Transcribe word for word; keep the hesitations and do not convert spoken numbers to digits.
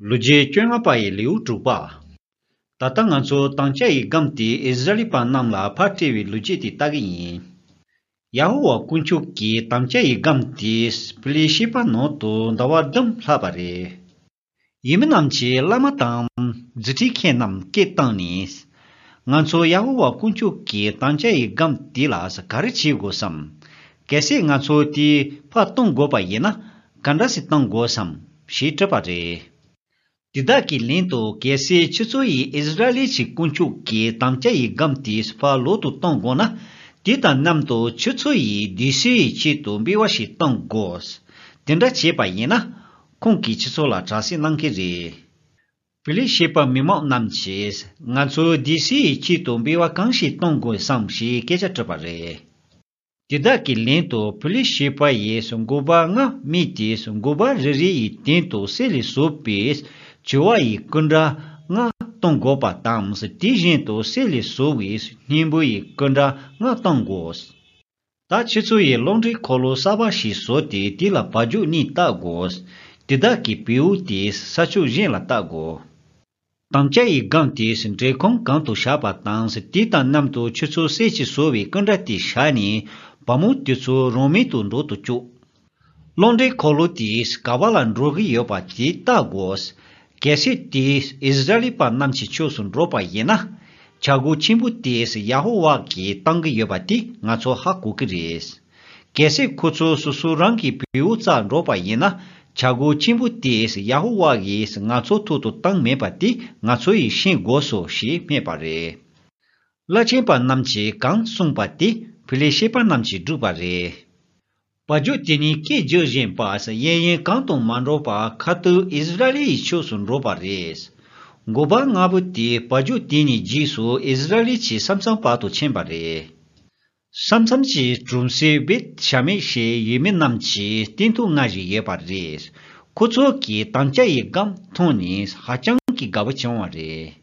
ལོ་རྒྱུས་བཅོ་ལྔ་པ་ཡི་ལེའུ་དྲུག་པ། ད་ལྟ་ང་ཚོ་དམ་བཅའ་ཡི་སྒམ་དེ་ཨིསི་ར་ཨེལ་པ་རྣམས་ལ་ཕར་སྤྲད་པའི་ལོ་རྒྱུས་དེ་ལྟ་གི་ཡིན། ཡ་ཧོ་ཝཱ་དཀོན་མཆོག་གིས་དམ་བཅའ་ཡི་སྒམ་དེ་ཕི་ལི་ཤེ་པ་ནང་དུ་ཟླ་བ་བདུན་ལྷག་པ་རེད། ཡུལ་མི་རྣམས་ཀྱིས་བླ་མ་དང་རྫུ་འཕྲུལ་མཁན་རྣམས་སྐད་བཏང་ནས། ང་ཚོ་ཡ་ཧོ་ཝཱ་དཀོན་མཆོག་གི་དམ་བཅའ་ཡི་སྒམ་དེ་ལ་ག་རེ་བྱེད་དགོས་སམ། གལ་སྲིད་ང་ཚོ་དེ་ཕར་གཏོང་དགོས་པ་ཡིན་ན་ག་འདྲ་ཞིག་གཏོང་དགོས་སམ་ཞེས་དྲིས་པ་རེད། དེ་དག་གིས་ལན་དུ། གལ་སྲིད་ཁྱེད་ཚོ་ཡིས་ཨིསི་ར་ཨེལ་གྱི་དཀོན་མཆོག་གི་དམ་བཅའ་ཡི་སྒམ་དེ་ཕར་ལོག་ཏུ་གཏོང་དགོས་ན། དེ་དང་མཉམ་དུ་ཁྱེད་ཚོ་ཡིས་སྡེ་སྲིད་ཡི་ཆེད་དུ་འབུལ་བ་ཞིག་གཏོང་དགོས། དེ་འདྲ་བྱས་པ་ཡིན་ན། ཁོང་གིས་ཁྱེད་ཚོ་ལ་དྲག་སྐྱེད་གནང་གི་རེད། ཕི་ལི་ཤེ་པ་མི་མང་རྣམས་ཀྱིས་ང་ཚོ་སྡེ་སྲིད་ཡི་ཆེད་དུ་འབུལ་བ་གང་ཞིག་གཏོང་དགོས་སམ་ཞེས་སྐད་ཆ་དྲིས་པ་རེད། དེ་དག་གིས་ལན་དུ། ཕི་ལི་ཤེ་པ་ཡིས་འགོ་པ་ལྔ་རྨིས་ཏེ། འགོ་པ་རེ་རེ་ཡི་སྟེང་དུ་གསེར་ལས་བཟོས་པའི་བྱི་བ་ཡི་སྐུ་འདྲ་ལྔ་གཏོང་དགོས་པ་དང་། དེ་བཞིན་དུ་གསེར་ལས་བཟོས་པའི་སྙིང་པོ་ཡི་སྐུ་འདྲ་ལྔ་གཏོང་དགོས། ད་ཁྱེད་ཚོ་ཡིས་གློག་འདྲེན་འཁོར་ལོ་གསར་པ་ཞིག་བཟོས་ཏེ། དེ་ལ་བ་ཕྱུགས་གཉིས་བཏགས་དགོས། དེ་དག་གི་བེའུ་དེ་ས་ཕྱོགས་གཞན་ལ་བཏགས་དགོས། དམ་བཅའ་ཡི་སྒམ་དེ་འབྲེལ་ཁང་གང་དུ་བཞག་པ་དང་། དེ་དང་མཉམ་དུ་ཁྱེད་ཚོ་གསེར་གྱིས་བཟོས་པའི་སྐུ་འདྲ་དེ་བཞག་ནས། བ་མོ་དེ་ཚོ་རང་མལ་དུ་འགྲོ་དུ་བཅུག། གློག་འདྲེན་འཁོར་ལོ་དེ་ག་བ་ལ་འགྲོ་གི་ཡོད་པ་དེ་བལྟ་དགོས། གལ་སྲིད་དེ་ཨིསི་ར་ཨེལ་པ་རྣམས་ཀྱི་ཕྱོགས་སུ་འགྲོ་བ་ཡིན་ན། བྱ་སྒོ་ཆེན་པོ་དེ་ཡ་ཧོ་ཝཱ་གིས་བཏང་གི་ཡོད་པ་དེ་ང་ཚོ་ཧ་གོ་གི་རེད། གལ་སྲིད་ཁོ་ཚོ་སོ་སོ་རང་གི་བེའུ་རྩར་འགྲོ་བ་ཡིན་ན། བྱ་སྒོ་ཆེན་པོ་དེ་ཡ་ཧོ་ཝཱ་ཡིས་ང་ཚོ་ཐོག་ཏུ་བཏང་མེད་པ་དེ་ང་ཚོ་ཡིས་ཤེས་དགོས་སོ་ཞེས་སྨྲས་པ་རེད། བླ་ཆེན་པ་རྣམས་ཀྱིས་གང་གསུངས་པ་དེ་ཕི་ལི་ཤེ་པ་རྣམས་ཀྱིས་བསྒྲུབས་པ་རེད། བ་ཕྱུགས་དེ་ནི་སྐད་རྒྱག་བཞིན་པ་གཡས་གཡོན་གང་དུ་མ་འགྲོ་བར་ཁ་ཐུག་ཨིསི་ར་ཨེལ་ཡི་ཕྱོགས་སུ་འགྲོ་བ་རེད། འགོ་པ་ལྔ་པོ་དེ་བ་ཕྱུགས་དེ་ནི་རྗེས་སུ་ཨིསི་ར་ཨེལ་གྱི་ས་མཚམས་བར་དུ་ཕྱིན་པ་རེད། ས་མཚམས་ཀྱི་གྲོང་གསེབ་བེད་ཤ་མེད་ཞེས་ཡུལ་མི་རྣམས་ཀྱི་སྟེང་དུ་མངའ་བཞིན་ཡོད་པ་རེད། ཁོ་ཚོ་གིས་དམ་བཅའ་ཡི་སྒམ་མཐོང་ནས་ཧ་ཅང་གི་དགའ་པོ་བྱུང་བ་རེད།